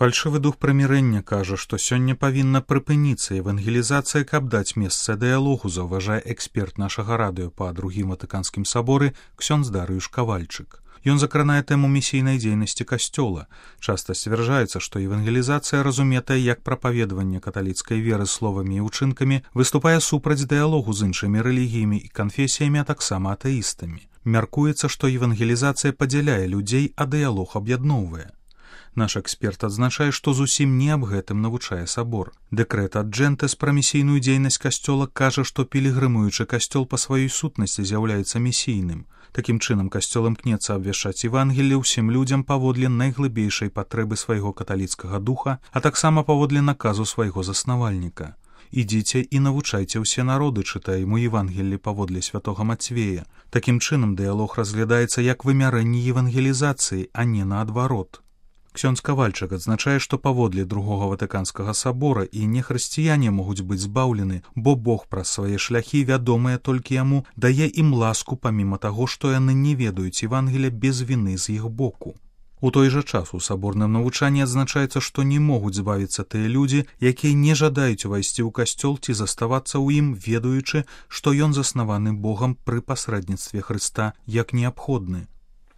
Фальшывы дух прымірэння кажа, што сёння павінна прыпыніцца евангелізацыя, каб даць месца дыялогу, заўважае эксперт нашага радыё па Другім Ватыканскім саборы ксёндз Дарыюш Кавальчык. Ён закранае тэму місійнай дзейнасці касцёла. Часта сцвярджаецца, што евангелізацыя, разуметая як прапаведаванне каталіцкай веры словамі і ўчынкамі, выступае супраць дыялогу з іншымі рэлігіямі і канфесіямі, а таксама атэістамі. Мяркуецца, што евангелізацыя падзяляе людзей, а дыялог аб'ядноўвае. Наш эксперт адзначае, што зусім не аб гэтым навучае сабор. Дэкрэт ад Джэнтэс пра місійную дзейнасць касцёла кажа, што пілігрымуючы касцёл па сваёй сутнасці з'яўляецца місійным. Такім чынам, касцёл імкнецца абвяшчаць Евангелле ўсім людзям паводле найглыбейшай патрэбы свайго каталіцкага духа, а таксама паводле наказу свайго заснавальніка. «Ідзіце і навучайце ўсе народы», чытаем у Евангеллі паводле святога Мацвея. Такім чынам, дыялог разглядаецца як вымярэнне евангелізацыі, а не наадварот. Ксёндз Кавальчык адзначае, што паводле Другога Ватыканскага сабора і нехрысціяне могуць быць збаўлены, бо Бог праз свае шляхі, вядомыя толькі яму, дае ім ласку, паміма таго, што яны не ведаюць Евангеля без віны з іх боку. У той жа час у саборным навучанні адзначаецца, што не могуць збавіцца тыя людзі, якія не жадаюць увайсці ў касцёл ці заставацца ў ім, ведаючы, што ён заснаваны Богам пры пасрэдніцтве Хрыста як неабходны.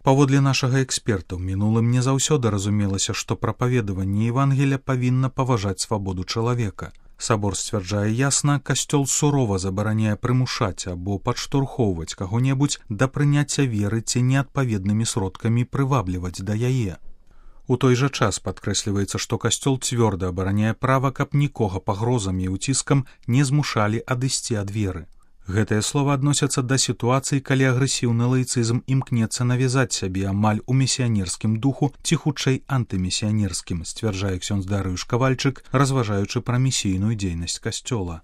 Паводле нашага эксперта, ў мінулым не заўсёды разумелася, што прапаведаванне Евангеля павінна паважаць свабоду чалавека. Сабор сцвярджае ясна, касцёл сурова забараняе прымушаць або падштурхоўваць каго-небудзь да прыняцця веры ці неадпаведнымі сродкамі прывабліваць да яе. У той жа час падкрэсліваецца, што касцёл цвёрда абараняе права, каб нікога пагрозамі і ўціскам не змушалі адысці ад веры. Гэтыя словы адносяцца да сітуацыі, калі агрэсіўны лаіцызм імкнецца навязаць сябе амаль у місіянерскім духу ці хутчэй антымісіянерскім, сцвярджае ксёндз Дарыюш Кавальчык, разважаючы пра місійную дзейнасць касцёла.